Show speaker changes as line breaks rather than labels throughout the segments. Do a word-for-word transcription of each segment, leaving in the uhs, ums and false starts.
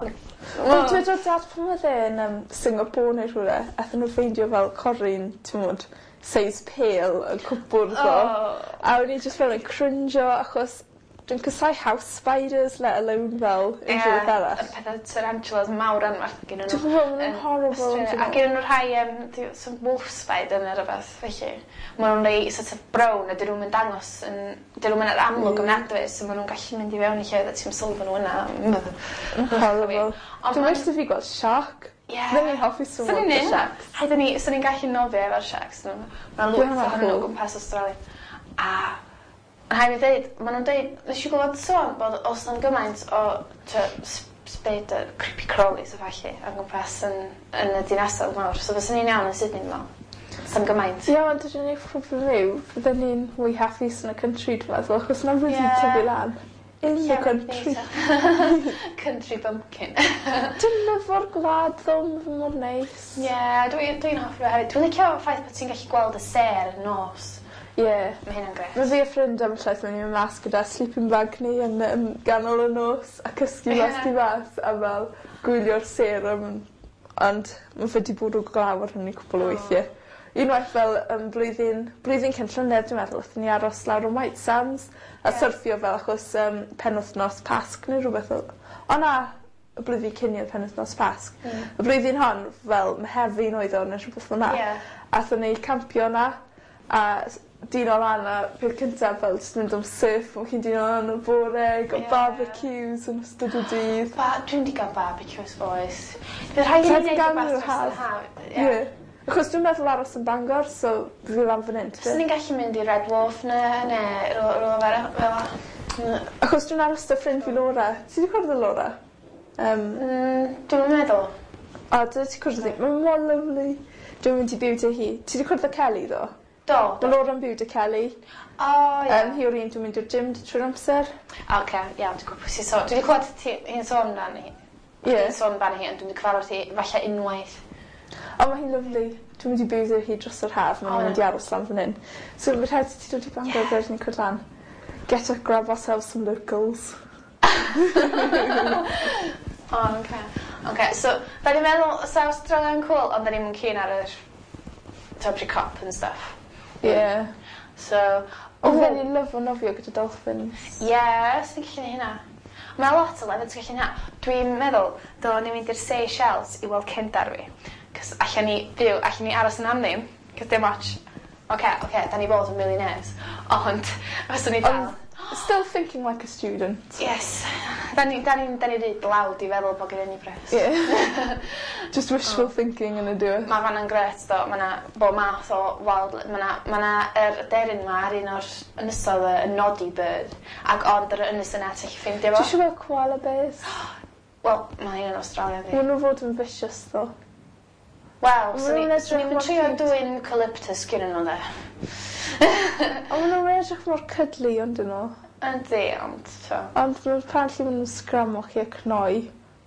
Wel dwedodd dad pan odd e yn yym Singapore neu rhywle athon n'w ffeindio fel corryn t'mod seis pêl yn cwpwrdd o.
O!
A o'n i jyst fel yn crinjo achos dwi'n casau house spiders let alone fel unrhyw beth arall.
Y pethe tarantulas mawr anferth gennyn n'w.
Ti'n gwbo ma' nw'n
yn
horrible
Australia.
on'd 'yn
A
nw?
gennyn n'w rhai yym dy- some wolf spider ne' rwbeth felly. Ma' nw'n rei sort of brown a 'dyn nw'm yn dangos yn 'dyn nw'm yn yr amlwg ofnadwy so ma' nw'n gallu mynd i fewn i llefydd a ti'm sylwi bo' n'w yna.
Horrible.
Ond
Dwi'n
ma'n
well 'da fi gweld siarc.
Ie.
Fydden i'n hoffi
Swn
swimmo
i'n
'da
neud hwnna.
sharks.
Rhaid i ni swn i'n gallu nofio efo'r sharks ma' ma'
Bydd
lwyth
hwnna'n
ohonyn n'w o
cŵl.
gwmpas Australia. A rhai' fi ddeud ma' nw'n deud nesh i glwad sôn bod o's na'm gymaint o t'o' sp- spider creepy crawlies a ballu o gwmpas yn yn y dinasodd mawr so fyswn i'n iawn yn Sydney dwi me'wl. Sa'm gymaint.
Ie ond yr unig problem yw fydden ni'n mwy hapus yn y country dwi meddwl achos 'na ble
Ie.
ti'n tyfu lan. In the country.
Country bumpkin.
Dwi'n lyfo'r gwlad ddo ma' fe mor neis.
Ie dwi dwi'n hoffi fe hefyd. Dwi'n licio ffaith bo' ti'n gallu gweld y sêr yn nos.
Ie.
Ma' hynna'n grêt.
Ma' fi a ffrind ambell waith yn myn' mas gyda sleeping bag ni yn yym ganol y nos a cysgu mas tu fas a fel gwylio'r sêr am ond ma' fe 'di bwrw glaw ar hynny cwpwl o weithie. Unwaith fel yym blwyddyn blwyddyn cyn llynedd dwi meddwl nathon ni aros lawr yn White Sands. A
Ie.
syrffio fel achos yym penwthnos Pasg ne' rhwbeth fel... O na! Y blwyddyn cyn 'ny odd penwthnos Pasg.
Hmm.
Y flwyddyn hon fel Mehefin oedd o ne' rhwbeth fel 'na.
Ie.
Athon ni campio 'na a s- dino lan a peth cyntaf fel jys mynd am surf o' chi'n dihuno lan yn y bore got
Ie.
barbecues yn ystod y dydd.
Ba- dwi'm 'di ga'l barbecues oes. Bydd rhaid i ni neud rwbeth dros yr haf.
Ie. Achos dwi'n meddwl aros yn Bangor so fi lan fan 'yn t'bod?
Swn i'n gallu mynd i Red Wharf ne' ne' rw- rywle fel 'a fel 'a. Mm.
Achos dwi'n aros 'da ffrind fi Laura. Ti 'di cwrdd â Laura? Yym.
Mm dwi'm yn meddwl.
O dylia ti cwrdd â 'i ma' mor lyfli. Dwi'n mynd i byw 'da hi. Ti 'di cwrdd â Kelly ddo?
Do.
Ma' Laura'n byw 'da Kelly.
O ie.
Yym hi yw'r un dwi'n mynd i'r gym 'da trwy'r amser.
Oce iawn dwi gwbo pwy sy sôn. Dwi 'di clywed ti hi'n sôn amdani.
Ie.
Hi'n sôn amdani hi ond dwi'm 'di cyfarfod hi falle unwaith.
O ma' hi'n lyfli. Dwi'n mynd i byw 'da hi dros yr haf ma'
O
nw'n mynd i
ie.
aros lan fan 'yn. So ma' rhaid i ti dod i Bangor
Ie.
wedyn i cwrdd lan. Get a grab ourselves some locals.
O oce. Oce so 'dan ni'n meddwl sa Awstralia'n cŵl ond 'dan ni'm yn keen ar yr t'od cop and stuff.
Ie.
So
O fydden i'n lyfo nofio gyda dolphins.
Ie swn i'n gallu neu' hynna. Ma' lot o lefydd ti gallu neu' 'na. Dwi'n meddwl dylen ni mynd i'r Seychelles i weld cefndar fi. 'C'os allan ni byw allan ni aros yna am ddim 'c'os dim otsh. Oce oce 'dan ni fod yn millionaires ond fyswn i dal
Ond still thinking like a student.
Yes. 'Dan ni 'dan ni'n 'dan ni ry dlawd i feddwl bo' gennyn ni bres.
Ie. Just wishful thinking yn on'd yw e?
Ma' fan 'na'n grêt tho ma' 'na bob math o wild li- ma' 'na ma' 'na yr aderyn 'ma ar un o'r ynysodd y y noddy bird ag ond yr ynys yna ti allu ffeindio
Dwi
fo.
isio weld koala bears.
Wel ma' un yn Awstralia 'fyd.
Ma' n'w fod yn vicious tho.
Wel
Ma'
swn i
nw'n edrych
swn i'm yn
mor
trio
ciwt.
dwyn eucalyptus gennyn n'w 'de.
On' ma' nw'n edrych mor cuddly on'd 'yn nw?
Yndi ond t'o'.
Ond ma' apparently ma' nw'n sgramio chi a cnoi.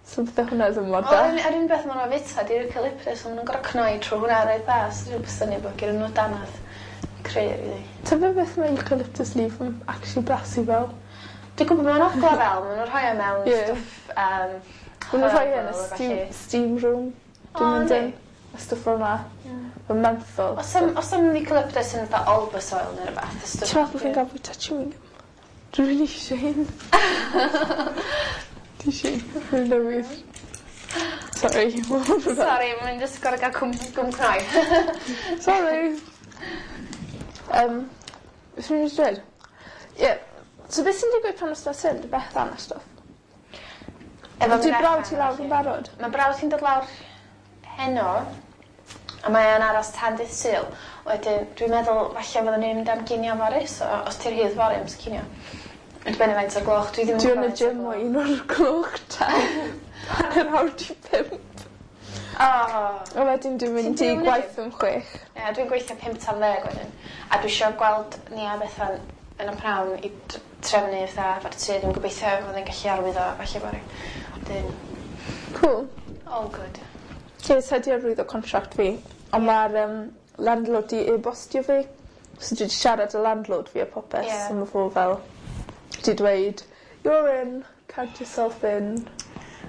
So bydde hwnna ddim mor da.
Wel yr un yr un beth ma' nw'n fita 'di'r eucalyptus a ma' nw'n gor'o' cnoi trw hwnna reit dda so dwi'm synnu bo' gennyn n'w danadd cry rili.
Tybed beth mae eucalyptus leaf yn actually blasu fel?
Dwi gwbo ma' nw'n ogla fel ma' nw'n rhoi o mewn
Ie.
stwff yym
Ma' nw'n rhoi e yn y
herbal a
stew
ballu.
steam room.
O
Dwi'n mynd
yndi?
yn. A stwff fel 'na.
Ie.
Ma'n menthol.
O's 'am o's 'am eucalyptus yn fatha Olbas oil ne' rwbath? Y stwff
Ti'n meddwl bo' fi'n ga'l bwyta chewing gum? Dwi rili isie un. Ti isie un? Rwy'n newydd. Sori.
Sori mae'n jyst gor'o' ga'l cwm gwm cnoi.
Sori. Yym beth o'n i myn' i dweud? Ie so beth sy'n digwydd pan wythnos hyn 'da Bethan a stwff?
Efo
Ydi brawd
Bethan
ti lawr yn barod?
Ma' brawd hi'n dod lawr heno a mae o'n aros tan dydd Sul wedyn dwi'n meddwl falle fyddwn ni'n mynd am ginio fory so os ti rhydd fory amser cinio. Yn dibynnu faint o'r gloch dwi ddim yn
Dwi yn
gwbo
y
faint o'r
gym o
gloch.
un o'r gloch tan hanner awr 'di pump.
O!
A wedyn dwi'n
Ti'n
mynd i
byw yn y
gwaith
gym?
am chwech.
Ie dwi'n gweithio pump tan ddeg wedyn a dwi isio gweld Nia a Bethan yn y pnawn i d- trefnu fatha efo'r tŷ dwi'n gobeithio fyddai'n gallu arwyddo falle fory. Wedyn
Cŵl.
All good.
Lle sa i 'di arwyddo contract fi on' ma'r yym landlord 'di e-bostio fi so dwi 'di siarad â landlord fi a popeth...
Ie.
...so ma' fo fel 'di dweud you're in count yourself in.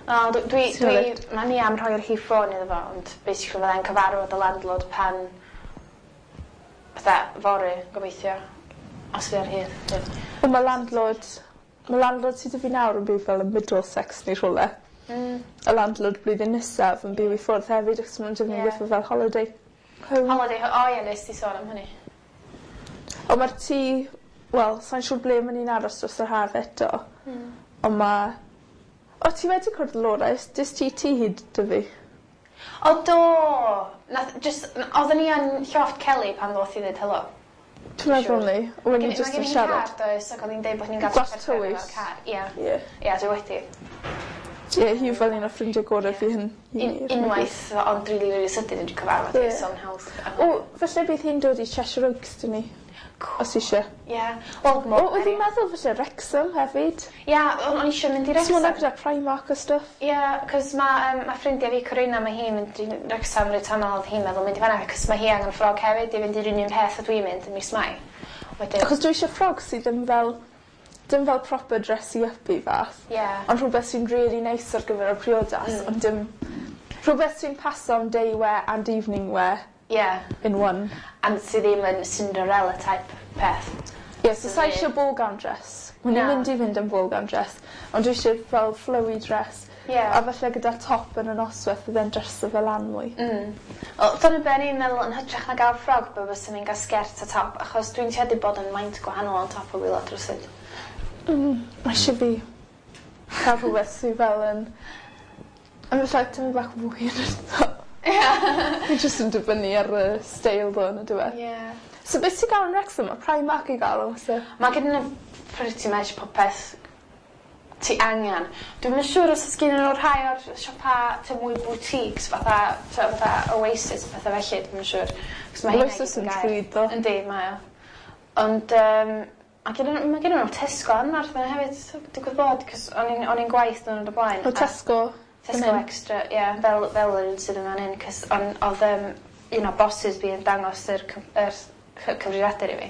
O, dwi, dwi,
Ti'n
dwi,
reit.
mae ni am rhoi'r rhif ffôn iddo fo, ond basically fydda i'n cyfarfod y landlord pan fatha fory, gobeithio, os fi ar hyd.
Wel, mae landlord, mae landlord sydd 'da fi nawr yn byw fel yn Middlesex neu rhywle.
Mm.
Y landlord blwyddyn nesaf yn byw i ffwrdd hefyd achos maen nhw'n defnyddio
Ie.
yeah. fel holiday home.
Holiday, o ie, nes ti sôn am hynny.
Ond mae'r tŷ, wel, sa'n siŵr ble maen ni'n aros dros yr haf eto.
Mm.
Ond mae... O, ti wedi cwrdd Laura, dys ti tŷ hyd dy fi?
O do! Nath, just, oedden ni yn llofft Kelly pan ddoth i ddweud helo.
Dwi'n meddwl ni, o'n
Mae
ni jyst
gen
yn
i
siarad.
car, does, ac oedd hi'n deud bod ni'n gael
Gwas
trafferth efo'r
tywys.
car. Ie,
Ie.
ie, dwi wedi.
Ie, hi yw fel un o ffrindiau gorau fi hyn.
Un, unwaith, ond rili, rili sydyn wedi cyfarfod hi,
Ie.
so yn hawdd.
O, falle bydd hi'n dod i Cheshire Oaks dyn ni, os eisiau.
Ie. Wel,
O, oedd hi'n meddwl falle Wrexham hefyd.
Ie, o'n o'n eisiau mynd i
So hwnna
Wrexham.
gyda Primark a stuff.
Ie, cos mae um, ma ffrindiau fi Corinna, mae hi'n mynd i Wrexham reit aml, oedd hi'n meddwl mynd i fan'na, cos mae hi angen ffrog hefyd i fynd i'r union peth a dwi'n mynd yn mis Mai. Wedyn,
Achos dwi eisiau ffrog sydd ddim fel, dim fel proper dressy up i fath.
ie.
Ond rhywbeth sy'n really nice ar gyfer y priodas,
Mm.
ond dim... Rhywbeth sy'n paso am day wear and evening wear
Ie.
in one.
And sydd ddim yn Cinderella type peth.
Ie, yeah, so sa eisiau ball gown dress. Mae'n
Na.
mynd i fynd yn ball gown dress, ond dwi eisiau fel flowy dress.
Ie.
A falle gyda top yn y noswaith fydde'n dreso fel lan mwy.
Mm. Wel, dyna be o'n i'n meddwl yn hytrach na gael ffrog, be fyswn i'n gael sgert a top, achos dwi'n tueddu bod yn maint gwahanol on top o waelod rywsut.
Mm, mae eisiau fi cael rhywbeth sydd fel yn... Yn falle tyfu bach fwy yn y top. Fi jyst yn dibynnu ar y steil ddo yn y diwedd.
Ie.
So beth ti'n gael yn Wrexham? Mae Primark i gael o, so.
Mae gen nhw pretty much popeth ti angen. Dwi'm yn siŵr os oes gen nhw rhai o'r siopa ty mwy boutiques fatha, ty, fatha Oasis a pethau felly, dwi'm yn siŵr. 'Cos mae hynna i
Oasis
gyd
yn
gair.
ddrud ddo.
Yndi, mae o. Ond um, a gen nhw, mae gen nhw Tesco anferth yna hefyd, so digwydd bod, cos o'n i'n o'n i'n gwaith nhw'n y blaen.
O
a-
Tesco.
Tesco
fan hyn.
Extra, ie, yeah, fel, fel yr un sydd yn fan hyn, cos on, oedd um, un o bosses fi yn dangos yr, cyf- yr cy- cyfrifiadur i fi,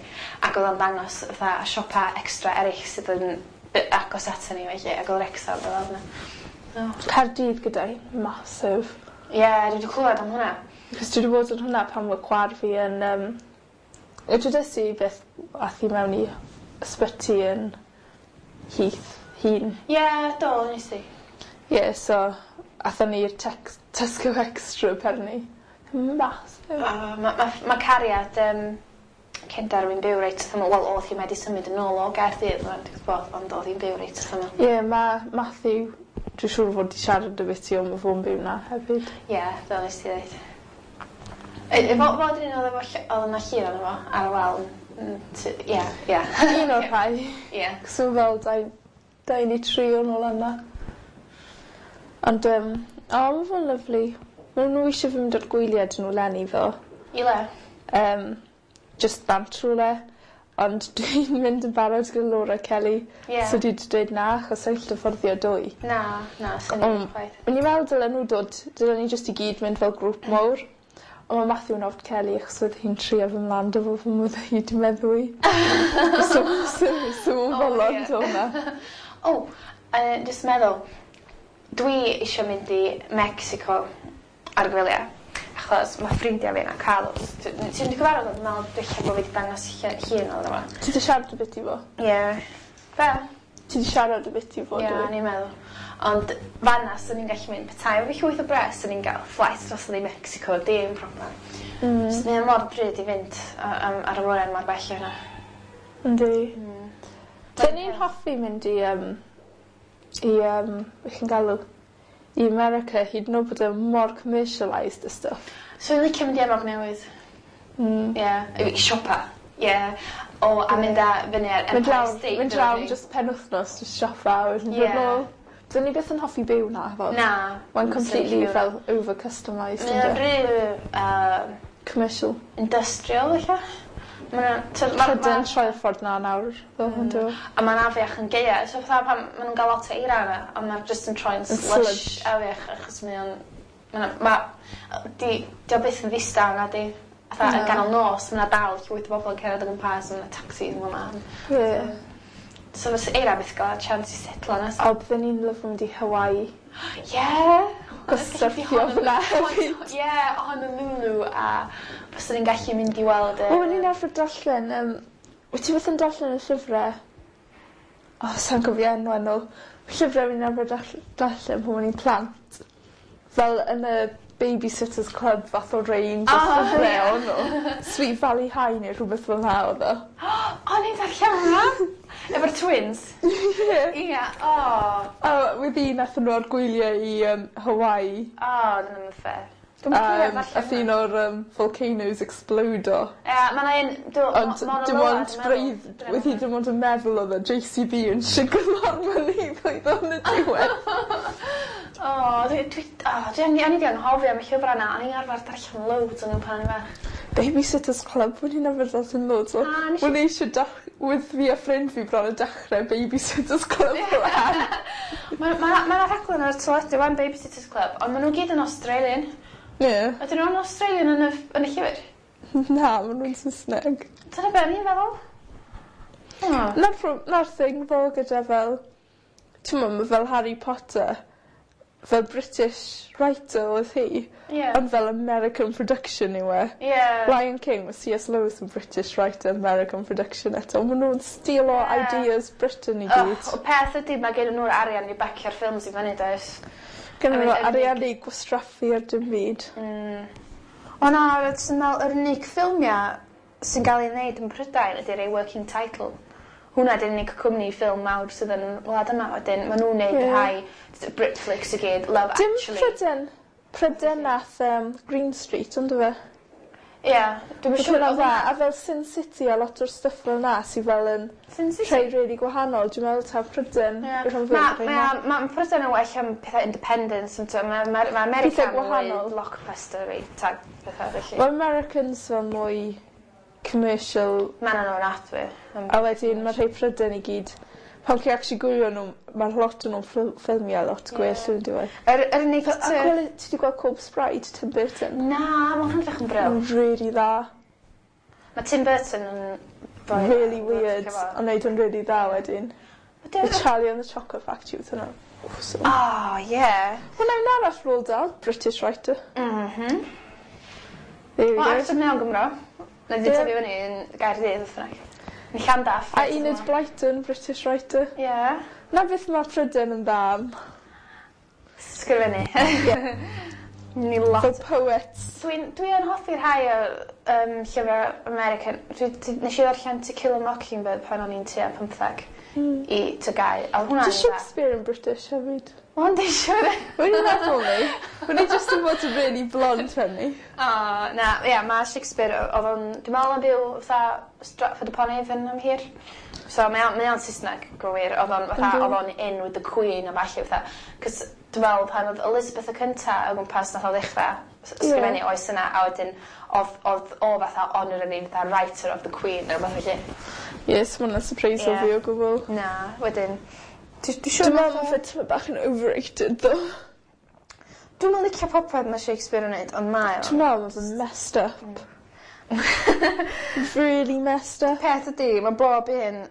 ac oedd o'n dangos fatha siopa extra eraill sydd yn by- agos ato ni felly, ac oedd Wrexham fel yna. So,
Caerdydd gyda hi, massive.
ie, yeah, dwi wedi clywed am hwnna.
Cos dwi wedi bod yn hwnna pan mae chwaer fi yn... Um, dwedes i beth ath hi mewn i ysbyty yn Heath, hun.
Ie, yeah, do, nes i.
Ie, yeah, so athon ni i'r Tex- Tesco Extra perni. Massive.
Uh, Mae ma, ma cariad um, cendar fi'n byw reit wrth ymyl, wel, oedd hi wedi symud yn ôl o Gaerdydd, mae'n digwydd bod, ond oedd hi'n byw reit wrth ymyl.
Ie, yeah, mae Matthew, dwi'n siŵr fod wedi siarad y bit i ond mae fo'n byw na hefyd.
Ie, yeah, do, nes ti ddeud. E, e, fo- Fod yn un oedd efo ll- oedd yna llun ono fo ar y wal. Mm, ty- Ie, ie.
Un o'r rhai.
Ie.
Cos mae fel dau, dau neu tri o'n ôl yna. Ond, um, o, mae fo'n lyflu. Mae nhw eisiau fi mynd ar gwyliau dyn nhw leni ddo.
I le?
Um, just bant rhywle. Ond dwi'n mynd yn barod gyda Laura Kelly.
Ie.
So dwi wedi dweud na, achos sa'n gallu fforddio dwy.
Na, na, sy'n
Ond-
ni'n chwaith.
O'n i'n meddwl dylen nhw dod, dylen ni jyst i gyd mynd fel grŵp mawr. Ond mae Matthew yn ofn Kelly achos oedd hi'n trio fy mlaen dy fo fy mwyd hi di meddwi. so, so, so mae'n
O,
bolon
ie.
do hwnna.
O, uh, jyst meddwl, dwi eisiau mynd i Mexico ar gwyliau. Achos mae ffrindiau fi yna, Carlos. Ti- Ti'n di cyfarfod o? Dwi'n meddwl dwi'n bod fi wedi dangos lle- llun oedden fo.
Ti di siarad y bit i fo?
Ie. Be?
Ti di siarad y bit i fo,
Ie,
dwi?
o'n i'n meddwl. Ond fanna, swn i'n gallu mynd petai efo fi llwyth o bres, swn i'n gael flight drosodd i Mexico, dim problem.
Mm.
Mm. Mae'n mor drud i fynd a- am- ar y awyren mor bell o hynna.
Yndi.
Mm.
Dyn ni'n hoffi mynd i, um, i, um, beth chi'n galw, i America, hyd yn oed bod e mor commercialised a stuff.
So i'n licio mynd i Efrog Newydd.
Mm.
Ie. I siopa. Ie. O, a mynd â fyny ar
Mynd
Empire
lawr,
State
mynd lawr
Building.
just penwythnos, just siopa, a wedyn
Ie.
dod nôl. Dyn ni byth yn hoffi byw na, fod.
Na.
Mae'n completely fel over-customised,
Mae'n
ynddo?
rhy uh,
Commercial.
industrial, ella. Mae'n... Ma,
Prydain troi'r ffordd na nawr, ddo, mm. ynddo?
A mae'n afiach yn gaea. So fatha pan maen nhw'n gael lot o eira yna, ond mae'n just yn troi'n
Yn
slush
sludge.
afiach, achos mae o'n... Mae'n... Ma, di, di o byth yn ddistaw na di. Fatha yn
Na.
ganol nos, mae 'na dal llwyth o bobl yn cerdded o gwmpas, mae 'na taxis yn man.
Ie.
So fysa eira byth gael chance i setlo na.
O, bydden ni'n lyfo mynd i Hawaii.
Yeah.
Cos syrffio fyna hefyd.
Ie, Honolulu a byswn ni'n gallu mynd i weld y...
O, o'n i'n arfer darllen, um, wyt ti byth yn darllen y llyfrau? O, sa'n cofio enw nhw. Llyfrau fi'n arfer darll- darllen pan o'n i'n plant. Fel yn y Babysitter's Club fath o range o
Oh,
llyfrau
ie.
o'n nhw. Sweet Valley High neu rhywbeth fel 'na oedd o.
O, ni'n darllen hwnna! Efo'r twins?
Ie.
Ie, o.
A wedi nathon nhw ar gwyliau i um, Hawaii.
O, dyna mynd fair. Dwi'm yn cofio
Um,
darllen
ath un o'r um, volcanoes explodo.
Ie, ma' 'na un... dw-
Ond
Mauna
dim
Loa,
ond
dwi'n meddwl.
breudd, wedi dim ond yn meddwl oedd y J C B yn siglo'r mynydd oedd yn y diwedd.
O, dwi, dwi, o, dwi, o'n i 'di anghofio am y llyfrau 'na. O'n i'n arfer darllen loads o'n nhw pan o'n i'n fach.
Babysitter's Club, o'n i'n arfer darllen loads o.
Ah, nes i-
O'n i eisiau dach... With fi a ffrind fi bron yn dechrau Babysitter's Club lan.
Mae ma, ma 'na rhaglen ar y teledu wan, Babysitter's Club, ond maen nhw gyd yn Australian.
Ie.
Ydyn nhw'n Australian yn y, yn y llyfr?
Na, maen nhw'n Saesneg.
Dyna be o'n i'n feddwl. Oh.
Na'r, pro- na'r thing fel gyda fel... Ti'n meddwl, ma' fel Harry Potter, fel British writer oedd hi,
Ie.
ond fel American production yw e.
Ie.
Lion King, mae C S. Lewis yn British writer, American production eto. Maen nhw'n steal o
Ie.
ideas Britain i
Oh,
gyd.
y peth ydy, mae gen nhw'r arian i bacio'r ffilms i fyny, does?
Gynnu
I mean,
nhw
yr unig-
arian i gwastraffu ar dim byd.
Mm. O na, ti'n meddwl, yr unig ffilmiau sy'n cael ei wneud yn Prydain ydy'r ei Working Title. Hwnna ydy'r unig cwmni ffilm mawr sydd yn wlad yma. Wedyn, maen nhw'n neud
Ie.
y rhai Britflicks i gyd, Love
Dim
Actually.
Pryden. Pryden nath um, Green Street, ond fe?
Ie, dwi'n
Oedd
siŵr.
hwnna'n dda. A fel Sin City a lot o'r stuff fel na sydd fel yn
Sin City?
rhai really gwahanol. Dwi'n meddwl taw Pryden
Ie.
yw'r rhan fwyaf
Ma'
o'r
ma'
rheina.
ma' Prydain yn well am pethau independence, yn Mae ma, ma America
Pethau
yn mwy
gwahanol.
blockbuster i tag pethau felly.
Mae Americans fel mwy commercial
Mae'n nhw'n adwy.
a wedyn mae rhai Pryden i gyd pan chi actually gwylio nhw, mae lot o'n nhw'n ffil- ffilmiau lot gwell
Ie.
yn diwedd.
Yr, yr unig...
A gweld, ti wedi gweld Corpse Bride, Tim Burton?
Na, mae hwnna'n edrych yn brill.
Mae'n really dda.
Mae Tim Burton yn boi
Really weird, ond neud o'n really dda wedyn. The Charlie and the Chocolate Factory oedd hwnna. Awesome.
Oh, yeah.
Hwna un arall Roald Dahl, British writer.
Mhm.
There we
Wel,
go.
actor mewn Gymro. Na di
Ie.
tyfu fyny yn Gaerdydd, wrth bynnag. Yn Llandaf.
A Enid Blyton, British writer.
Ie.
Na beth mae Prydain yn dda am.
Sgrifennu. Ni lot.
Fel poets.
Dwi'n dwi yn hoffi rhai o um, llyfrau American. Dwi, dwi, nes i ddarllen To Kill a Mockingbird pan o'n i'n tua pymtheg i T G A U. A oedd hwnna'n
Di
dda.
Shakespeare yn British hefyd.
Ond eisiau.
O'n i'n meddwl ni. O'n i just yn bod yn really blond hynny.
O, na, ia, mae Shakespeare, oedd o'n, dwi'n meddwl o'n byw fatha Stratford upon Avon am hir. So mae o'n, mae o'n Saesneg, gwir, oedd o'n fatha,
Yndi.
oedd o'n in with the Queen a falle fatha. Cos dwi'n meddwl pan oedd Elizabeth y cynta o gwmpas nath o ddechrau s- ysgrifennu oes yna, a wedyn oedd, oedd o fatha honorary fatha writer of the Queen neu rhywbeth felly.
Yes, mae hwnna'n surprise o
Ie.
fi o gwbl.
Na, wedyn, dwi dwi siŵr
Dwi'n meddwl
nath o-
mae fe tyma bach yn overrated though.
Dwi'm yn licio popeth mae Shakespeare yn neud, ond mae o.
Dwi'n meddwl mae fe'n messed up. Really messed up.
Peth ydi, mae bob un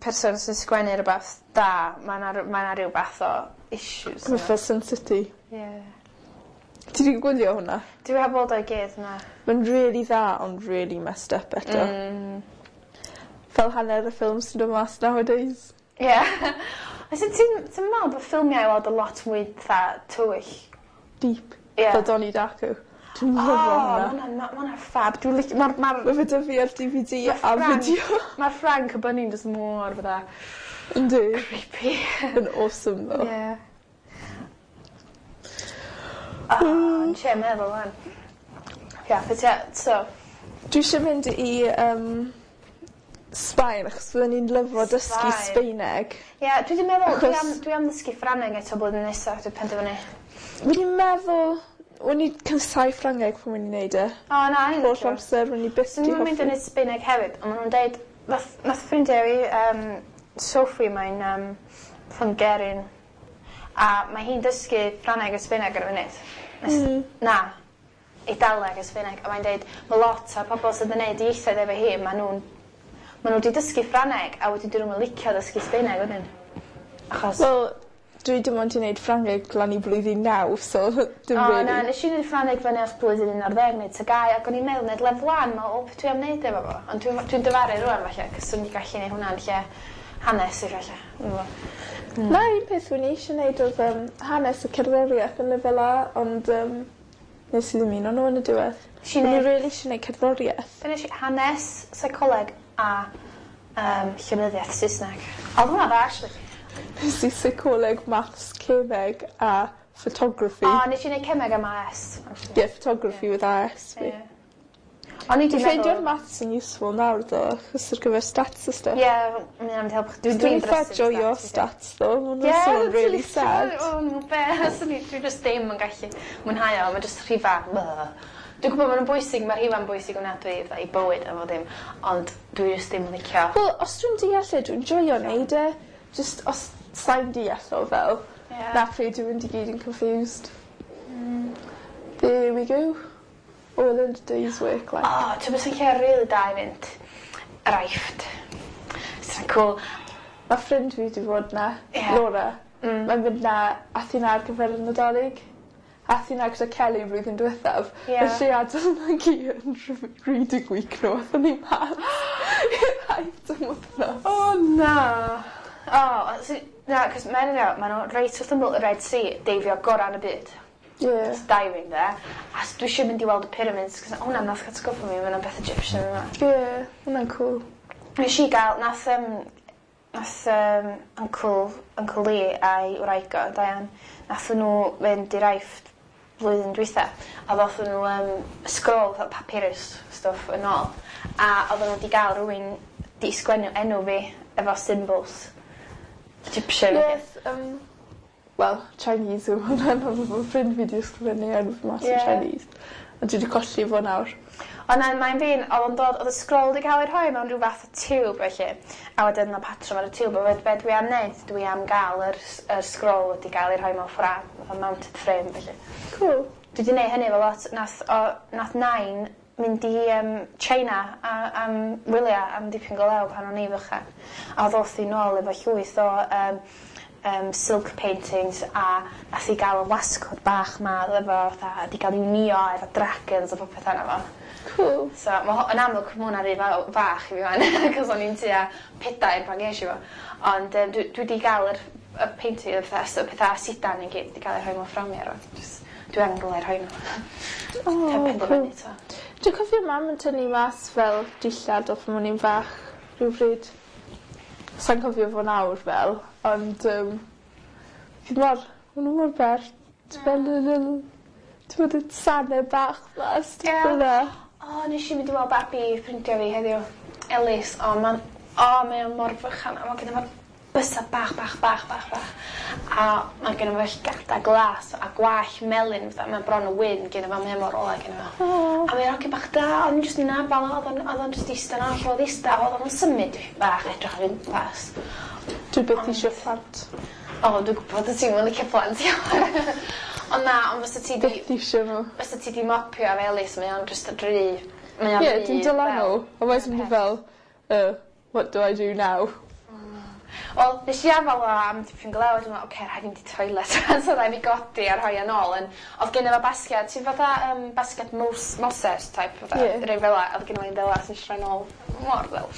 person sy'n sgwennu rhywbeth da, mae yna ma 'na rhyw fath o issues.
Mae fel Sin City.
Yeah.
Ti wedi gwylio hwnna?
Dwi heb weld o'i gyd, na.
Mae'n really dda, ond really messed up eto.
Mm.
Fel hanner y ffilm sy'n dod mas nowadays.
Ie. Yeah. Ti'n ti'n meddwl bod ffilmiau i weld a lot mwy fatha tywyll?
Deep.
Ie.
Fel Donnie Darko. Dwi'n
O,
lyfo
ma'
hwnna.
hwnna'n ma' hwnna'n ffab. Dwi'n licio... Mae'r ma
Mae fe 'da fi ar D V D
Ma'
a
Frank-
fideo.
ma Frank y Bunny'n just mor fatha
Yndi.
creepy.
Yn awesome though.
Ie. O, yn siarad meddwl wan. Ia, but yeah, so,
Dwi eisiau mynd i um, Sbaen achos byddwn ni'n lyfo dysgu
Sbaen.
Sbaeneg.
Ie, yeah, dwi wedi meddwl, dwi
Achos-
am, dwi am ddysgu Ffrangeg eto blwyddyn nesaf, dwi'n penderfynu.
Wedi meddwl, o'n i casáu Ffrangeg pan o'n i'n neud e.
O, na, ni'n
Holl amser, o'n i byth
Dwi'n
di
mynd i
hoffi.
wneud Sbaeneg hefyd, ond maen nhw'n deud, nath, nath ffrindiau fi, um, Sophie, mae'n um, Hungarian, a mae hi'n dysgu Ffrangeg a Sbaeneg ar y funud. Nes,
Mm.
Na, Eidaleg a Sbaeneg, a mae'n deud, mae lot o pobl sydd yn neud ieithoedd efo hi, maen nhw'n Maen nhw wedi dysgu Ffrangeg a wedyn dyn nhw'n licio dysgu Sbaeneg wedyn. Achos
Wel, dwi dim ond 'di neud Ffrangeg lan i blwyddyn naw, so dim
O
really.
Na, nes i neud Ffrangeg fyny at blwyddyn un ar ddeg neu T G A U ac o'n i'n meddwl neud lefel one, me'wl, "O, beth dwi am neud efo fo?" Ond dwi'n dwi'n dyfaru rŵan falle, 'cos swn i gallu neud hwnna yn lle hanes i falle. Dwi'm yn gwbo.
Na, un peth o'n i eisiau neud oedd um, hanes y cerddoriaeth yn lefel A, ond um, nes i ddim un o'n nhw yn y diwedd.
Nes i
O'n i
neud-
really eisiau neud cerddoriaeth.
Be nes i? Hanes, seicoleg a um, llenyddiaeth Saesneg. Oedd hwnna dda, actually.
Nes i seicoleg, maths, cemeg a photography.
O, nes i neud cemeg am A S, actually.
Yeah, photography with A S fi.
Ie. O'n i 'di
Dwi'n ffeindio'r
meddwl
maths yn useful nawr ddo, achos ar gyfer stats a stuff.
Ie, mae'n am helpu. Dwi'n
Dwi'n
dwi'n
eitha
drysu
joio
stats.
stats ddo, ma'n
Ie,
swnio'n really sad.
O, no be, swn i, dwi just ddim yn gallu mwynhau o, mae just rhifa. Blah. Dwi'n gwybod maen nhw'n bwysig, mae rhifa'n bwysig ofnadwy fatha i bywyd a fo ddim, ond dwi just ddim yn licio.
Wel, os dwi'n deall e, dwi'n joio neud e. Just os sai'n deall o fel,
Ie.
na pryd dwi'n mynd i gyd yn confused. There we go. All in a day's work, like.
O, ti'n beth sy'n lle really da i fynd? Yr Aifft. Sy'n cool.
Mae ffrind fi wedi bod na,
Ie.
Laura.
Mm.
Mae'n mynd na, ath hi na ar gyfer y Nadolig. Ath hi na gyda Kelly blwyddyn diwethaf.
Ie.
Felly adael na gi yn reading week nhw, athon ni mas i'r Aifft am wythnos.
O, na. O, so, na, cos mae'n nhw, maen nhw reit wrth ymyl y Red Sea, deifio gorau yn y byd.
Yeah.
It's diving there. A s- dwi eisiau mynd i weld y pyramids, cos hwnna nath atgoffa mi, mae'n beth Egyptian yma.
Yeah, hwnna'n cool.
Nes i gael, nath, um, nath um, Uncle, Uncle Lee a'i wraig o, Diane, nath nhw fynd i'r Aifft blwyddyn dwytha, a ddoth nhw um, scroll, fatha papyrus stuff yn ôl, a oedden nhw wedi gael rhywun di sgwennu enw fi efo symbols Egyptian.
Yes, um, well, Chinese yw hwnna, ond mae ffrind fi wedi ysgrifennu enw fi mas yn
Ie.
Chinese. A dwi wedi colli fo nawr.
Ond na, mae'n fi'n, oedd o'n dod, oedd y scroll wedi cael ei rhoi mewn rhyw fath o tiwb felly. A wedyn y patrwm ar y tiwb, a wedyn be dwi am wneud, dwi am gael yr, yr scroll wedi cael ei rhoi mewn ffrâm, fatha mounted frame felly.
Cool.
Dwi wedi gwneud hynny efo lot, nath, o, nath nain mynd i um, China a, am wyliau am dipyn go lew pan o'n i fychan. A ddoth hi nôl efo llwyth o um, um, silk paintings a nath hi gael y wasgod bach ma efo fatha, di gael ei wnio efo dragons a popeth arno fo.
Cool.
So, ma' ho- yn amlwg ma' hwnna'n rhy faw- fach i fi wan, cos o'n i'n tua pedair pan ges i fo. Ond um, dwi, dwi wedi gael yr, y painting, y pethau, y pethau sidan i gyd wedi cael ei rhoi mewn fframio rwan. Just, dwi angen rhywle i rhoi nhw.
Oh,
Heb
cool.
penderfynu to.
Dwi'n cofio mam yn tynnu mas fel dillad o pan o'n i'n fach rhywbryd. Sa'n cofio fo nawr fel, ond um, fi mor, ma' nhw mor bert, fel y little, ti'n bod y sanau bach ma, stuff
Ie.
fel 'na.
O, nes i mynd i weld babi ffrindiau fi heddiw. Elis, o, ma'n, o, mae o'n mor fychan, a mae gen fo bysedd bach, bach, bach, bach, bach. A mae gen fo llgada glas a gwallt melyn, fatha, mae bron o wyn gen fo, mae o mor ola gen fo.
O.
A mae'n hogyn bach da, o'n i'n jyst yn nabal o, oedd o'n oedd o'n jyst ista 'na, lle oedd ista, oedd o'n symud dipyn bach, edrych ar gwmpas.
Dwi byth eisiau plant.
O, dwi'n gwybod y ti'n mynd licio plant iawn. Ond na, ond fysa ti di,
Byth eisiau nhw.
fysa ti di mopio efo Elis, mae o'n jyst rhy, mae o'n
Ie,
rhy
dwi'n dyla
fel-
nhw. A wedyn
peth.
fi fel, uh, what do I do now?
Wel, nes i afal o am dipyn go lew, a dwi'n meddwl, oce, rhaid i fynd i toilet. So rhaid fi godi a rhoi yn ôl. Yn, oedd gen i fo basgiad, ti'n fatha um, basgiad Mos, Moses type, fatha,
Ie.
yeah. rei fel 'a, oedd gen i fo un fel 'a, so nes i rhoi nôl mor fel.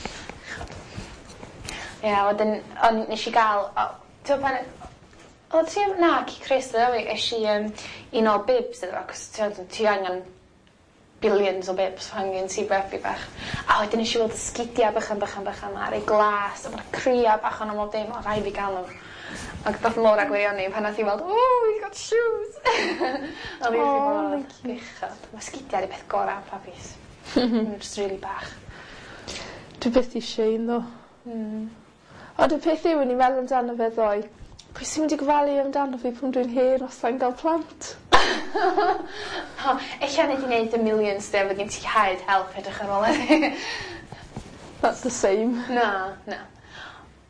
Ie, yeah, wedyn, on, nes i gael, o, ti'n gwbod pan, o, ti, na, ci Chris, ddo fi, es i um, i nôl bibs iddo fo, cos ti'n ti angen billions o bibs pan gen ti babi bach. A wedyn nes i weld y sgidia bychan bychan bychan ma, rei glas, a ma'n cria bach o'n bob dim, o, rhaid fi gael nhw. Ac dath Laura gwirioni pan nath i weld, "Oh, he's got shoes." Oedd hi wrth ei
Oh,
bodd.
lyci.
Bechod. Mae sgidia 'di peth gorau am babis. Maen nhw'n just really bach.
Dwi byth eisiau un ddo.
Mm.
Ond y peth yw, o'n i'n meddwl amdano fe ddoe, pwy sy'n mynd i gofalu amdano fi pan dwi'n hen os sa'n gael plant?
O, ella nei di wneud y millions de, fod gen ti hired help edrych ar ôl iddi.
That's the same.
Na, na.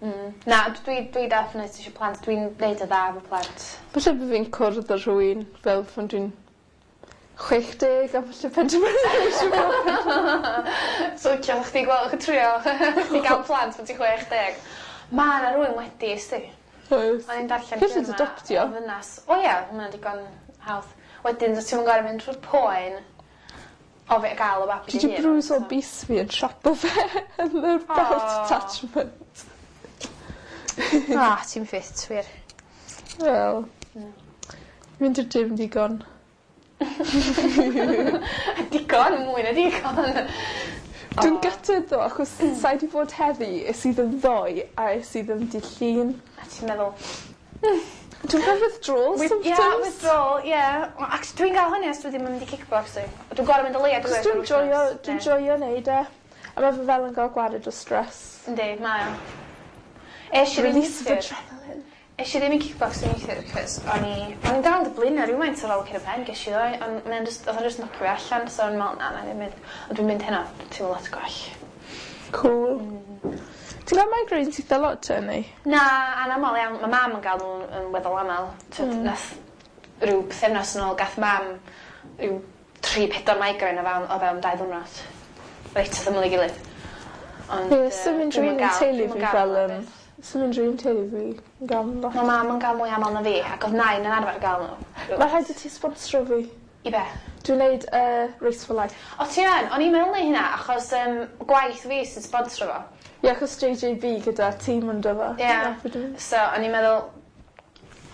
Mm. Na, dwi, dwi definitely eisiau plant. Dwi'n neud y dda efo plant.
Falle bod fi'n cwrdd â rhywun fel pan dwi'n chwech deg a falle penderfynu eisiau bod.
So licio chdi gweld chdi trio chdi gael plant pan ti'n chwech deg. Ma' 'na rywun wedi sti.
Oes.
O'n i'n darllen
Gallu adoptio.
O ddynas. O ia, ma' hwnna'n digon hawdd. Wedyn ti'm yn gor'o' mynd trwy'r poen o fe ga'l y babi
Dwi
dy
'di
hun.
brwso bys fi yn siapo fe yn y belt attachment.
Ah, ti'n ffit wir.
Wel. Mynd i'r gym digon.
Digon, mwy na digon.
Dwi'n gutted ddo achos sai 'di bod heddi es i ddim ddoe a es i ddim dydd Llun.
A ti'n meddwl
Dwi'n cael withdrawal
With,
symptoms.
yeah, withdrawal, yeah. Well, actually, dwi'n gael hynny os dwi ddim yn mynd i kickboxing. Dwi'n gor'o' mynd o leia
Achos dwi'n joio, dwi'n joio neud e. A ma' fe fel yn gael gwared o stress.
Yndi, mae o. Es i ddim
Release of
neithiwr.
adrenaline.
Es i ddim i kickboxing neithiwr, cos o'n i... O'n i'n dal yn blino rhywfaint ar ôl cur y pen, ges i ddoe, ond mae'n just, oedd o'n just knockio fi allan, so o'n meddwl, na, na, ddim mynd. Ond dwi'n mynd heno, dwi'n teimlo lot gwell.
Cool. Ti'n gael migraines eitha lot te, neu?
Na, anamal iawn. Mae mam yn gael nhw yn weddol aml. Mm. Nath rhyw pythefnos yn ôl gath mam rhyw tri, pedwar migraine o fewn, o fewn dau ddwrnod. Reit wrth ymyl ei gilydd. Ond,
Ie,
yy,
sdim
dwi'm
unrhyw
yn
un yn
gael-
teulu
dwi'm yn
fi
gael
fel
nhw
yn...
byth.
Sdim unrhyw un teulu fi yn gael lot.
Mae mam yn gael mwy aml na fi, ac oedd nain yn arfer gael nhw.
Mae rhaid i ti sponsro fi.
I be?
Dwi'n neud uh, Race for Life.
O ti yn? O'n i'n meddwl neud hynna, achos um, gwaith fi sy'n sponsro fo.
Ie, achos J J B gyda tîm yn fo.
Ie. So, o'n i'n meddwl,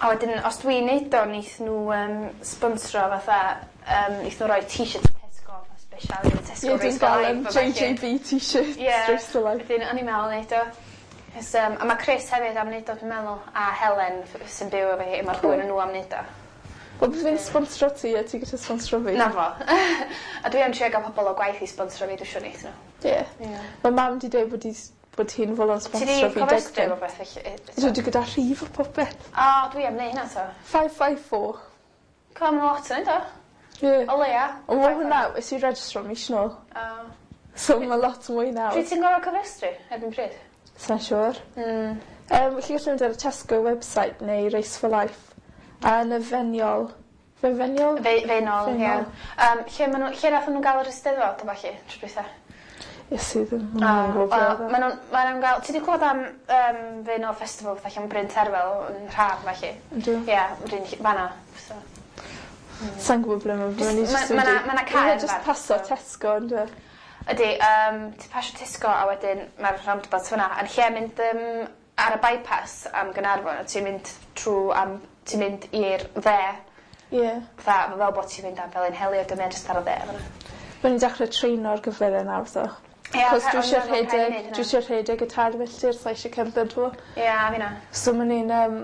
a wedyn, os dwi'n neud o, neith nhw um, sponsro fatha, um, neith nhw roi t-shirt Tesco, fatha special, i Tesco
Ie,
Race
dwi'n
for
gael
Life.
um,
A ballu.
J J B t-shirt
Ie.
Race for Life.
Wedyn, o'n i'n meddwl neud o. Cos, um, a mae Chris hefyd am neud o, dwi'n meddwl, a Helen f- sy'n byw efo hi, mae'r
Cool.
ddwy ohonyn nhw am neud o.
Wel, bydd fi'n sponsro ti a ti gyda sponsro fi.
Na fo. A dwi am trio gael pobl o gwaith i sponsro fi, dwi'n siŵr neith nhw.
Ie.
Ie.
Mae mam di dweud bod, hi, bod hi'n fodlon
Ti di
sponsro fi
cofrestru
deg
efo beth felly?
Dwi wedi gyda rhif o popeth.
O, dwi am neud hynna to.
five five four.
Co, mae'n lot yn neud o.
Ie.
O leia.
Ond mae hwnna, es i registro mis nôl.
O.
So mae lot mwy nawr.
Pryd ti'n gorfod cofrestru? Erbyn pryd?
Sa'n siŵr.
Mm.
Um, chi gallu mynd ar y Tesco website neu Race for Life. A yn y Feniol. Fe Feniol?
Fe, Faenol, ie.
Faenol.
Um, lle, ma nhw, lle nath nhw gael yr Eisteddfod o falle, tro dwytha?
Iesu ddim.
O,
Mae'n gwybod
wel,
ble
ma' nhw'n ma' nhw'n gael. Ti 'di clywed am um, Faenol Festival fatha lle Bryn Terfel yn Rhaf felly?
Ydw.
Ie, Bryn fan'na. So.
Sa'n gwybod ble mae'n fyny.
Jyst- ma' ma' 'na- ma' 'na cae
Just
anferth,
paso
so.
Tesco, ynddo.
Ydy, um, ti pasio Tesco a wedyn mae'r roundabout fyna. Yn lle mynd um, ar y bypass am Gaernarfon, a ti'n mynd trwy am, ti'n mynd i'r dde,
Ie.
fatha fel bod ti'n mynd am Felinheli a dwi'n jyst ar y dde fyna.
Mae'n ni'n dechrau treino ar gyfer e nawr, so.
Ie,
Cos
pa-
dwi
o'n
eisiau
i'n meddwl rhaid i
rhedeg,
neud hynna.
dwi eisiau rhedeg y tair milltir, so eisiau cerdded fo.
Ie, a fi na.
So mae'n ni'n... Um,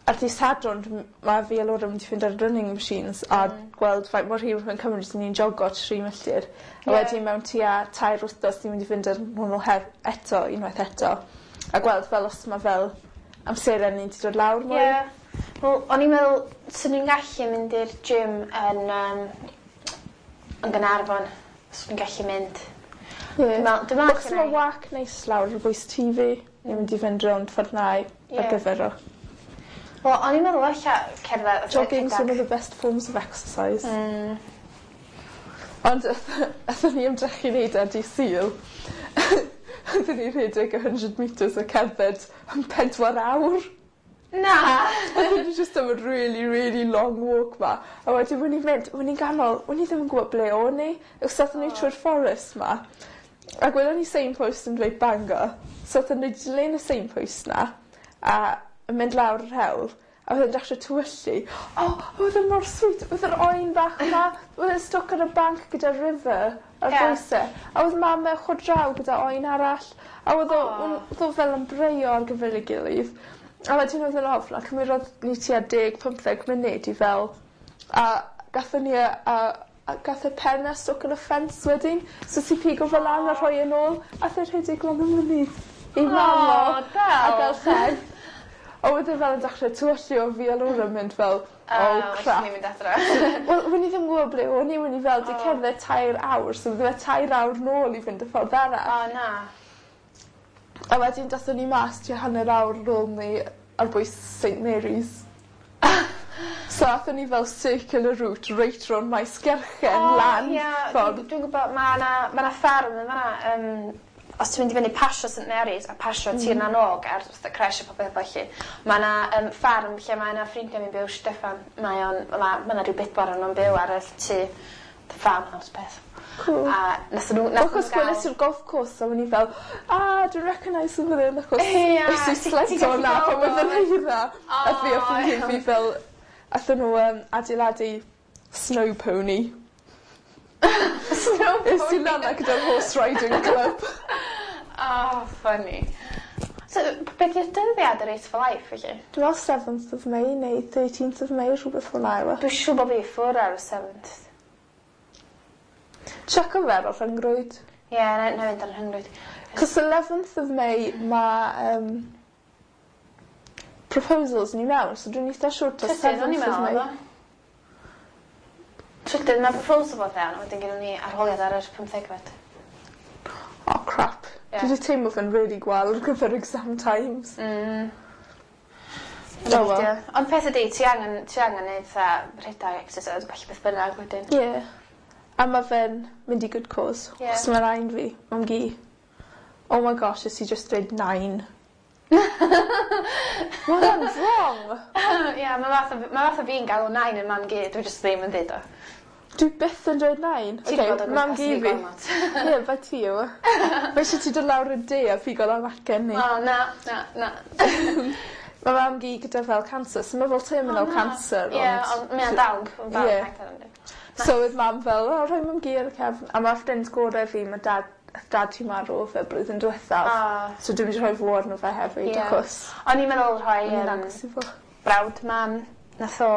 ar dydd Sadwrn, dwi- mae fi a Laura yn mynd i fynd ar running machines a
Mm.
gweld faint mor hir mae'n cymryd i ni'n jogo tri milltir. A
Ie.
wedyn mewn tua tair wythnos ni'n mynd i fynd ar hwnnw hef eto, unwaith eto. A gweld fel os mae fel amseren ni'n dod lawr mwy.
Ie. Wel, o'n i'n meddwl, swn i'n gallu mynd i'r gym yn, um, yn Gaernarfon. Swn i'n gallu mynd.
Ie.
Dwi'n meddwl, dwi'n meddwl
Achos mae wac neis lawr ar bwys tŷ fi. Ni'n mynd i fynd rownd ffordd na
Ie.
ar gyfer o.
Wel, o'n i'n meddwl alla cerdded
Jogging's
rhedeg.
one of the best forms of exercise.
Mm.
Ond athyn ni ymdrechu wneud ar dydd Sul. Athyn ni rhedeg one hundred metres a cerdded am pedwar awr.
Na!
Athyn ni just am a really, really long walk ma. A wedyn, when ni'n mynd, when ni'n ganol, when ni ddim yn gwybod ble o'n ni. Os athyn ni trwy'r fforest ma. Ac welon ni signpost yn dweud Bangor. So athyn ni dilyn y signpost na. A yn mynd lawr yr hewl. A oedd e'n dechrau tywyllu. O, oh, oedd e mor sweet. Oedd yr oen bach yma. Oedd e'n stuck ar y bank gyda river ar
Ie.
bwys e. A oedd mam e ochr draw gyda oen arall. A oedd o,
Aw.
oedd o fel yn breuo ar gyfer ei gilydd. A wedyn oedd e'n ofn, a cymerodd ni tua deg, pymtheg munud i fel. A gathon ni a, a, a gath y pen e stuck yn y ffens wedyn. So ti pigo fel lan a rhoi yn ôl. A e rhedeg lan y mynydd i mam o.
O, del.
A gael llen. A oedd e fel yn dechrau tywyllu o fi a Laura yn mynd fel, "Oh crap."
Ni'n mynd adra.
Wel, when i ddim yn gwybod ble o'n i, when i fel, di
Oh.
cerdded tair awr, so bydde fe tair awr nôl i fynd y ffordd arall.
O, na.
A wedyn dathon ni mas tua hanner awr nôl ni ar bwys Saint Mary's. So athon ni fel circular route reit rownd Maesgeirchen lan
ie,
ffordd.
Dwi'n dwi'n gwybod ma' 'na ma' 'na ffarm yn fan'na yym os ti'n mynd i fyny pasio St Mary's a pasio mm. Tir na n-Og ar fatha creche a popeth felly ma' 'na yym ffarm lle mae 'na ffrindia fi'n byw Steffan mae o'n ma' ma' 'na rhyw bedwar o'n nw'n byw ar y tŷ the farmhouse peth.
Cool.
A nathon nw nathon
Achos
nw ga'l...
gweles i'r golf course a o'n i fel ah dwi'n recognise fan 'yn achos
Ie
es i
ti ti'n
sledo
gallu
'na
gweld
pan oedd
o.
yr eira. A fi a
O
ffrindiau
iawn.
fi fel athon nhw yym adeiladu snow pony.
Snow pony.
Es i lan 'na gyda'r horse riding club.
Oh funny. So be' 'di'r dyddiad y Race for Life felly?
Dwi me'wl seventh of May neu thirteenth of May rhwbeth fel 'na yw e.
Dwi siŵr bo' fi ffwr ar y seventh.
Checo fe ar y rhyngrwyd.
Ie nai nai fynd ar y rhyngrwyd.
'Cos eleventh of May ma' yym proposals ni mewn so dwi'n eitha siŵr taw
Trydydd o'n i'n
seventh of
meddwl
May.
oedd o. Trydydd ma' proposal fod fewn a wedyn gynnon ni arholiad ar yr pymthegfed.
Oh crap.
Ie.
Dwi 'di teimlo fe'n really gwael ar gyfer exam times.
Mm.
Oh well.
Ond peth ydi ti angen ti angen neud fatha rhedag exercise ballu beth bynnag wedyn.
Ie. A ma' fe'n mynd i good cause.
Ie.
Achos ma' nain fi, mam-gu. Oh my gosh nes i just dweud nain. Ma' hwnna'n wrong.
Ie ma' fath o ma' fath o fi'n galw nain yn mam-gu dwi jyst ddim yn deud o.
Dwi byth yn dweud nain.
Ti 'di
Oce,
bod o gwmpas
mam-gu
fi
fi.
gormod.
Ie, bai ti yw e. Mae isie ti dod lawr y de a pigo lan acen ni.
O na na na.
Ma' mam-gu gyda fel cancer, so ma' fel terminal
O, na.
cancer
Ie ond mae o'n dal yn dal
Ie.
yn
So oedd mam fel, o, rhoi mam-gu ar y cefn. A ma' ffrind gore fi, ma' dad, dad ti marw fe blwyddyn diwethaf.
O.
So dwi'n mynd i rhoi fo arno fe hefyd,
Ie.
achos
O'n i'n meddwl rhoi
o'n i'n
yym
agos i fo.
brawd mam nath o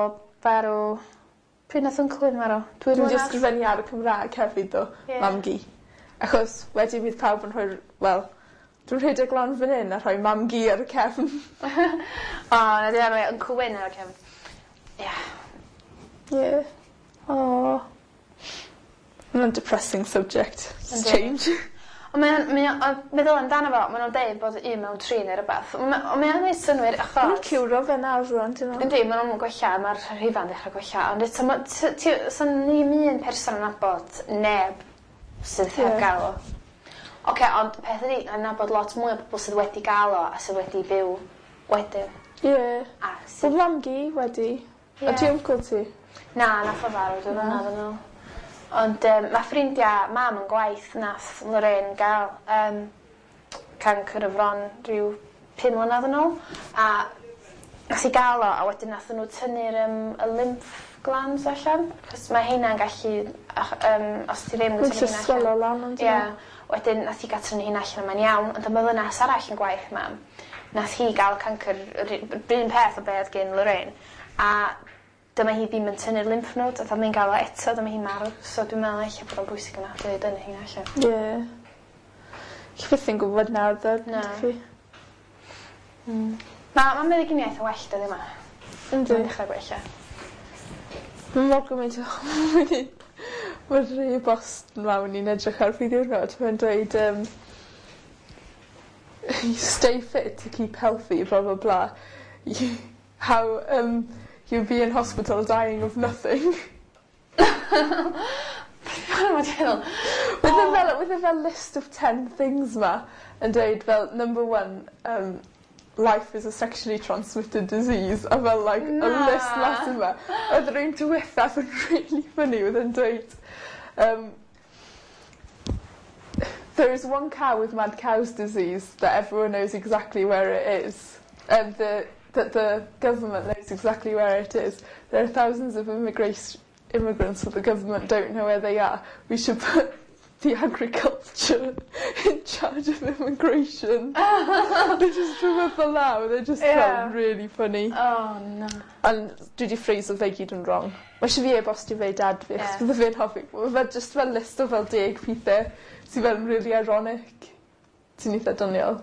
farw pryd nath uncle fi marw? Dwy
Dwi'n mynd i
mlynedd?
ysgrifennu ar y Cymraeg hefyd, ddo,
Ie.
mam-gu. Achos wedyn bydd pawb yn rhoi, wel, dwi'n rhedeg lan fan hyn a rhoi mam-gu ar y cefn.
O na di rhoi Uncle Wyn ar y cefn. Ie.
Ie. O. Mae'n depressing subject. Let's
Yndi.
change.
Ond mae o'n mae o'n ond meddwl amdano fo ma' nw'n deud bod un mewn tri neu rwbath. On' ma' on' mae o'n neud synnwyr
Maen nhw'n
achos
ciwro fe nawr rŵan, ti'n meddwl?
Yndi ma' nw'n gwella ma'r rhifau'n dechra gwella ond eto ma' t- ti sa ni'm un person yn nabod neb sydd heb
Ie.
ga'l o. Oce ond peth ydi dwi'n nabod lot mwy o bobol sydd wedi ga'l o a sydd wedi byw wedyn.
Ie.
A
Wel,
sydd
mam-gu wedi.
Ie.
A ti uncle ti?
Na nath o farw dwy mlynedd yn ôl. Ond yym ma' ffrindia mam yn gwaith nath Lorraine ga'l yym cancer y fron rhyw pum mlynedd yn ôl a nath hi ga'l o a wedyn nathon nhw tynnu'r yym y lymph glands allan achos ma' heina'n gallu ach- yym os ti ddim yn
Mae'n
tynnu
gallu
heina
swelo
allan.
lan on'd
Ie.
yw e?
Wedyn nath hi ga'l tynnu heina allan a mae'n iawn ond y ddynas arall yn gwaith mam nath hi ga'l cancer yr u- yr un peth o be' oedd gin Lorraine a dyma hi ddim yn tynnu'r lymph nodes a mae'n ga'l o eto dyma hi'n marw so dwi'n meddwl ella bod o'n bwysig yna i dynnu heina allan.
Ie. Chi byth yn gwybod nawr ddo,
Na.
ydych chi?
Mm. Ma' ma' meddyginiaeth yn well dyddia 'ma.
Yndi.
Mae'n dechrau gwella.
Mae mor gymaint o... Mae'r e-bost 'ma o'n i'n edrych ar pryd diwrnod, mae'n dweud um, stay fit to keep healthy, blah blah blah. You, how um, you'll be in hospital dying of nothing.
Mae'n meddwl.
With a fel, with a fel list of ten things ma, yn dweud fel, number one, um, life is a sexually transmitted disease, a fel like a
Na.
list massive ma. Oedd yr un diwethaf yn really funny, oedd yn dweud, um, there is one cow with mad cow's disease that everyone knows exactly where it is. And the, that the government knows exactly where it is. There are thousands of immigrants, immigrants that the government don't know where they are. We should put the agriculture in charge of immigration. They just rhywbeth fel 'na, they just
Yeah.
felt really funny.
Oh no.
Ond dwi wedi ffreiso fe gyd yn wrong. Mae eisiau fi e-bostio fe i dad fi, achos
Ie.
bydde fe'n hoffi. Mae fe just fel list o fel deg pethau sydd fel yn really ironic. Sy'n eitha doniol.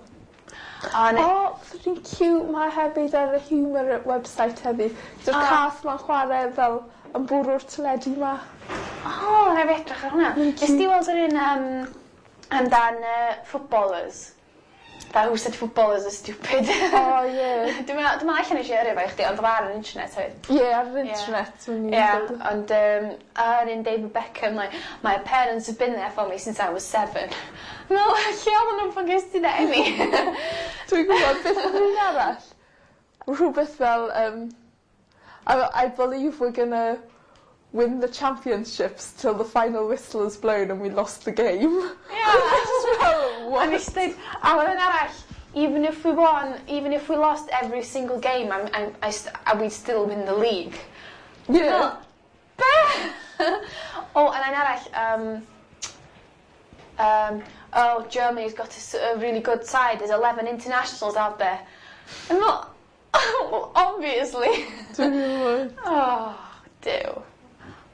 O, ne.
O, oh, cute ma hefyd ar y humour website heddi. Gyda'r
O.
cath ma'n chwarae fel yn bwrw'r teledu ma.
O, na fi edrych ar hwnna.
Mae'n
Nes di weld yr un um, amdan uh, footballers? That who said footballers are stupid.
Oh, ie.
Dwi'n meddwl, dwi'n meddwl allan nes i yrru fo i chdi, ond oedd ar yr internet hefyd.
Ie, ar yr internet. O'n i'n
Ie,
gweld.
ond um, ar un David Beckham, like, my parents have been there for me since I was seven. No, lle oedden nhw'n pan ges ti dy eni?
Dwi'n gwybod beth oedd un arall. Rhywbeth fel, um, I, I believe we're gonna win the championships till the final whistle is blown and we lost the game.
Ie.
Just fel,
A
what?
nes i dweud, a wedyn arall, even if we won, even if we lost every single game, I'm, I'm, I, st I, we'd still win the league.
Yeah.
Be? oh, and un arall, um, um, oh, Germany's got a, s- a really good side. There's eleven internationals out there. And well, well, obviously.
Dwi'n gwybod.
Oh, Duw.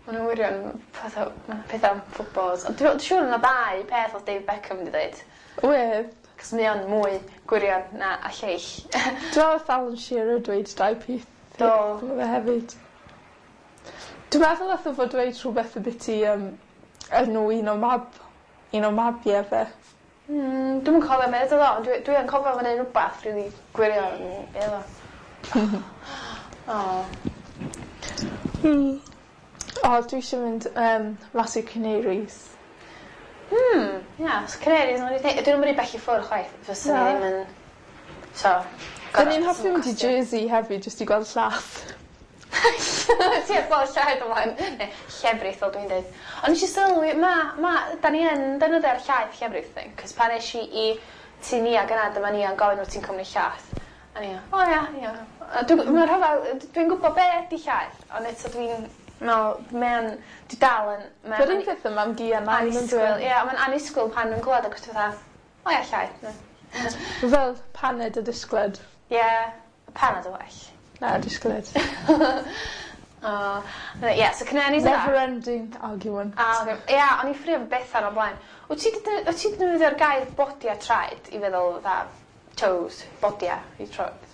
Maen nhw'n wirion pethau, pethau am footballers. Ond dwi'n siŵr yna ddau peth oedd David Beckham wedi dweud.
Wedd.
Cos mae o'n mwy gwirion na a lleill.
Dwi'n meddwl Alan Shearer dweud dau peth.
Do.
Mae fe hefyd. Dwi'n meddwl nath o fod dweud rhywbeth ambiti um, enw un o mab, un o mabiau fe.
Mm, dwi'm yn cofio beth oedd o, ond dwi, dwi yn cofio fo'n neud rhywbeth rili gwirion. Be oedd o? Oh.
Hmm. O, dwi eisiau mynd um, mas i'r Canaries.
Hmm, ia, yeah, so Canaries, mae'n rhy... Dwi'n mynd i bell i ffwrdd chwaith, fyswn i
Na.
ddim yn... So...
Da ni'n hoffi mynd i Jersey hefyd, jyst i gweld llath.
Ti heb gweld llaeth o blaen. Neu, llefrith, fel dwi'n dweud. Ond nes i sylwi, ma, ma, da ni yn defnyddio'r llaeth llefrith thing, cos pan es i i tŷ Nia gyna, dyma Nia'n gofyn wyt ti'n cymryd llaeth. A ni, o ia, ia. A Dwi'n ma' rhyfedd, dwi'n gwybod be ydi llaeth, ond eto dwi'n meddwl, mae'n, dwi dal yn... mae'n
Yr un peth yma am gi a nain yn
Annisgwyl,
dweud.
ie, mae'n annisgwyl pan dwi'n clywed ac dwi'n fatha, o ia, llaeth.
Fel paned a disgled.
Ie, paned o well.
Na, disgled.
O, ie, so Canaries yna.
Never ending argument.
Ah, oce. Ie, o'n i'n ffrio efo Bethan o blaen. Wyt ti 'di wyt ti 'di defnyddio'r gair bodia traed i feddwl fatha toes, bodia i troed?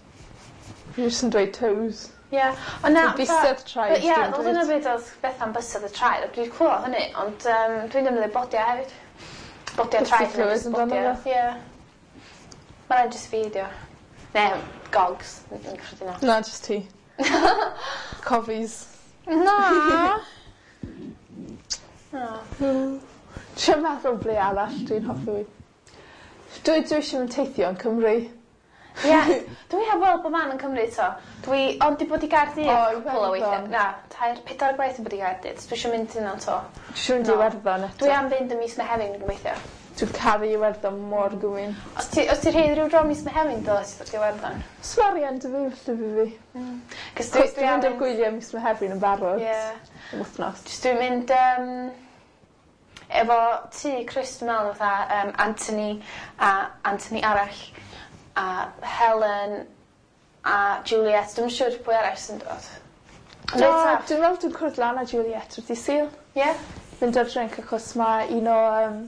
Fi jyst yn dweud toes.
Ie. Ond na...
So bysedd traed,
Ie,
dwi'n
wel
dweud.
dyna beth oedd Bethan bysedd y traed. a Dwi'n clywed hynny, ond um, dwi'n defnyddio bodia hefyd. Bodia
Byth 'di
traed.
clywed
jyst
amdano
bodia.
fe.
Ie. Mae'n rhaid jyst fi, dio. Ne, gogs, yn gyffredinol.
Na, just ti. Cofis.
Na! Oh.
Dwi'n meddwl ble arall dwi'n hoffi. Dwi, dwi eisiau mynd teithio yn Cymru.
Ie, dwi heb weld bob man yn Cymru to. Dwi ond di bod i Gaerdydd
O,
cwpl o weithiau.
Iwerddon.
Na, tair, pedair gwaith yn bod i Gaerdydd. So dwi eisiau mynd yna to.
Dwi eisiau mynd i
No.
Iwerddon eto.
Dwi am fynd ym mis Mehefin yn gobeithio.
Dwi'n caru Iwerddon mor gwyn.
Os ti, os ti rhydd rhyw dro mis Mehefin, dyle ti ddod i Iwerddon.
Smarian dy fi felly fi fi.
Cos dwi,
Cos
dwi
dwi'n
am
mynd ar
fynd...
gwyliau mis Mehefin yn barod.
Ie.
Yn wythnos.
Jyst dwi'n mynd um, efo tŷ Chris, dwi'n meddwl, fatha um, Anthony a Anthony arall a Helen a Juliet. Dwi'm yn siŵr pwy arall sy'n dod. Ond
Do,
reit saff.
dwi'n meddwl dwi'n cwrdd lan â Juliet wrth i Sul.
Ie?
Mynd ar drink achos mae un o um,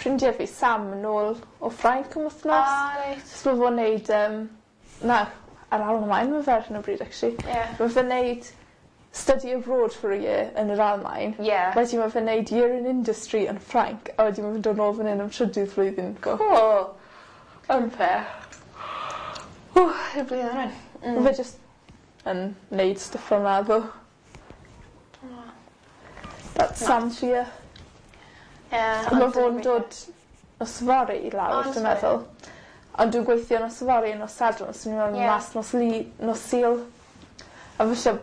ffrindiau fi, Sam, yn ôl o Ffrainc am wythnos.
Ah, reit.
So mae fo'n neud, um, na, ar Almaen mae fe ar hyn o bryd, actually.
Ie.
Mae fe'n neud study abroad for a year yn yr Almaen.
Ie.
Wedyn mae fe'n neud year in industry yn Ffrainc, a wedyn mae fe'n dod nôl fan hyn am trydydd flwyddyn. Go.
Cool.
Unfair.
Ww, i'r blwyddyn rwan.
Mm. Mae fe just yn neud stuff fel 'na, ddo. That's Sam for you.
Ie.
Mae fo'n dod nos fory i lawr,
O, nos
dwi'n
fory.
meddwl. Ond dwi'n gweithio nos fory nos Sadwrn, so ni'n mynd
Ie.
mas nos, li, nos Sul. A falle